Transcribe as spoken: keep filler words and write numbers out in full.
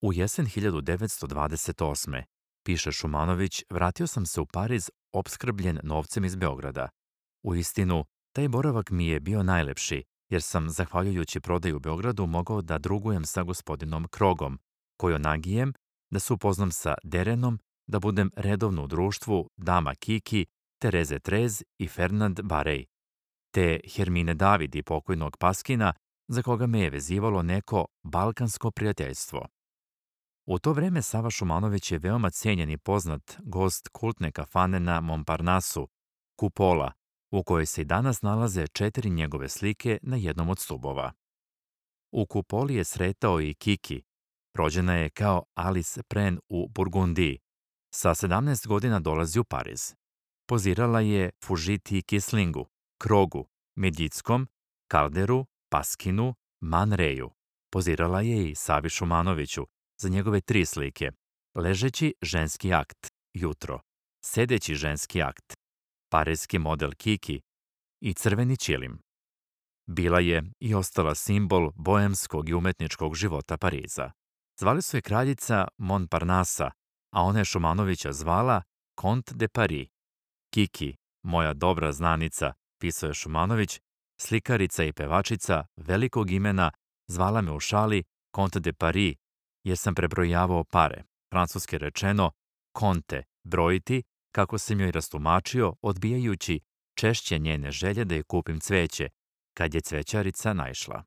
U jesen hiljadu devetsto dvadeset osme. piše Šumanović, vratio sam se u Pariz opskrbljen novcem iz Beograda. U istinu, taj boravak mi je bio najlepši, jer sam, zahvaljujući prodaju u Beogradu, mogao da drugujem sa gospodinom Krogom, Kojonagijem, da se upoznam sa Derenom, da budem redovno u društvu dama Kiki, Tereze Trez i Fernand Barej, te Hermine David i pokojnog Paskina, za koga me je vezivalo neko balkansko prijateljstvo. U to vreme Sava Šumanović je veoma cenjen i poznat gost kultne kafane na Montparnasu, Kupola, u kojoj se i danas nalaze četiri njegove slike na jednom od stubova. U Kupoli je sretao i Kiki. Rođena je kao Alice Pren u Burgundiji. Sa sedamnaest godina dolazi u Pariz. Pozirala je Fužiti Kislingu, Krogu, Medjickom, Kalderu, Paskinu, Man Reju. Pozirala je i Savi Šumanoviću za njegove tri slike: ležeći ženski akt, jutro, sedeći ženski akt, parijski model Kiki i crveni ćilim. Bila je i ostala simbol boemskog i umetničkog života Pariza. Zvali su je kraljica Montparnasa, a ona je Šumanovića zvala Comte de Paris. Kiki, moja dobra znanica, pisao je Šumanović, slikarica i pevačica velikog imena, zvala me u šali Comte de Paris, jer sam prebrojavao pare, francuski rečeno konte, brojiti, kako sam joj rastumačio, odbijajući češće njene želje da je kupim cveće, kad je cvećarica naišla.